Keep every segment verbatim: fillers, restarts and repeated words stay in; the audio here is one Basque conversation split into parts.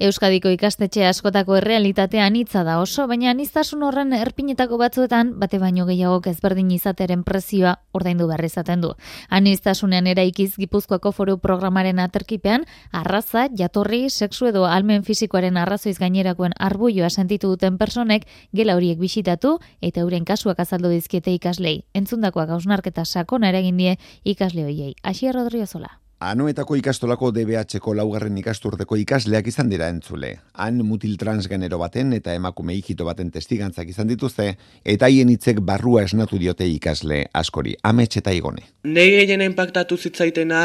Euskadiko ikastetxe askotako errealitatea anitza da oso, baina aniztasun horren erpinetako batzuetan bate baino gehiagok ezberdin izatearen prezioa ordaindu behar izaten du. Aniztasunean eraikiz Gipuzkoako Foru Programaren aterkipean arraza, jatorri, sexu edo almen fisikoaren arrazoiz gainerakoen arbuioa sentitu duten personek gela horiek bisitatu eta euren kasuak azaldu dizkiete ikaslei. Entzundakoak hausnarketa sakona eragin die ikasle hoiei. Asier Rodriozola. Anoetako ikastolako D B H-ko laugarren ikasturteko ikasleak izan dira entzule. Han mutil transgenero baten eta emakume hijito baten testigantzak izan dituzte, eta haien hitzek barrua esnatu diote ikasle askori. Amets eta Igone. Nei gehiena inpaktatu zitzaitena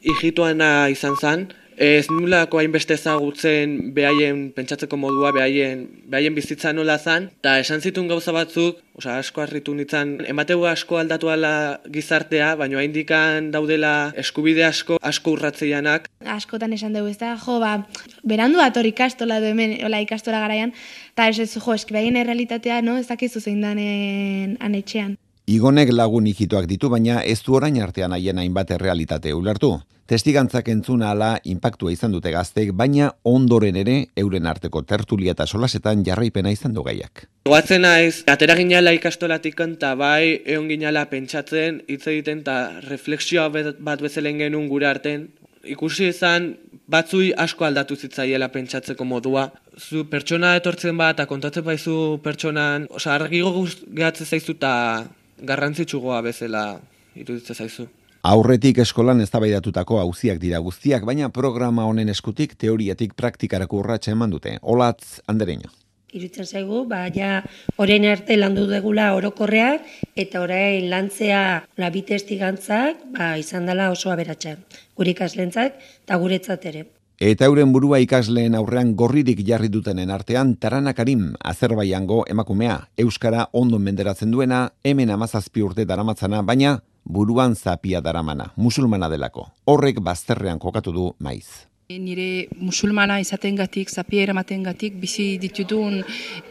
hijitoana izan zen. Ez nulako hainbeste ezagutzen behaien pentsatzeko modua, behaien, behaien bizitza nola zen, eta esan zituen gauza batzuk, osea, asko harritu nintzen, emateu asko aldatu ala gizartea, baina haindikan daudela eskubide asko, asko urratzeianak. Askotan esan dugu ez da, jo, ba, berandu ator ikastola du hemen, ola ikastola garaian, eta ez ez, jo, eski behaien errealitatea, no, ez dakizu zein danen anetxean. Igonek lagun hijitoak ditu, baina ez du orain artean haien hainbat errealitate ulertu. Testigantzak entzuna ala inpaktua izan dute gaztek, baina ondoren ere euren arteko tertulia eta solasetan jarraipena izan du gaiak. Goatzen naiz, atera ginala ikastolatik eta bai egon ginala pentsatzen, hitz egiten eta refleksioa bat bezalen genuen gure arten. Ikusi izan batzui asko aldatu zitzaiela pentsatzeko modua. Zu pertsona etortzen bat eta kontatzen baizu pertsonan, osea argigo gehatzen zaizu eta garrantzitsugoa bezala iruditzen zaizu. Aurretik eskolan eztabaidatutako auziak dira guztiak, baina programa honen eskutik teoriatik praktikarako urratsa eman dute. Olatz Andereño. Iruditzen zaigu, ba, ja, orain arte landu degula orokorreak, eta orain lantzea la bi testigantzak, ba, izan dela oso aberatsa. Gure ikaslentzat eta guretzat ere. Eta euren burua ikasleen aurrean gorririk jarri dutenen artean Tarana Karim, Azerbaijango emakumea, euskara ondo menderatzen duena, hemen hamazazpi urte daramatzana, baina buruan zapia daramana, musulmana delako. Horrek bazterrean kokatu du maiz. Nire musulmana izatengatik, zapia eramatengatik bizi ditudun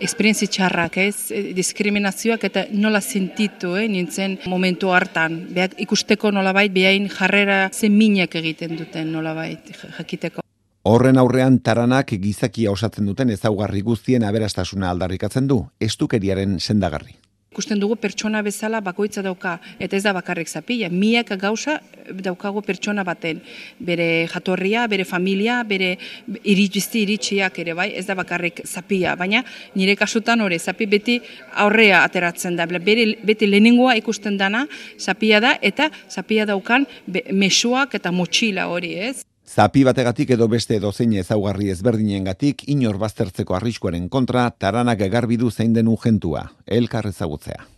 esperientzia txarrak, ez? Diskriminazioak eta nola sentitu, eh? Nintzen momentu hartan. Beak ikusteko nolabait, behain jarrera zeminak egiten duten nolabait, jakiteko. Horren aurrean Taranak gizakia osatzen duten ezaugarri guztien aberastasuna aldarrikatzen du, estukeriaren sendagarri. Ikusten dugu pertsona bezala bakoitza dauka, eta ez da bakarrik zapila, miak gauza daukagu pertsona baten, bere jatorria, bere familia, bere iritsi iritsiak ere bai, ez da bakarrik zapila, baina nire kasutan hori, zapi beti aurrea ateratzen da, bere, beti lehenengoa ikusten dana zapila da, eta zapila daukan mesuak eta motxila hori, ez? Zapi bategatik edo beste dozein ezaugarri ezberdinengatik inor baztertzeko arriskuaren kontra Taranak garbi du zein den urgentua, elkar ezagutzea.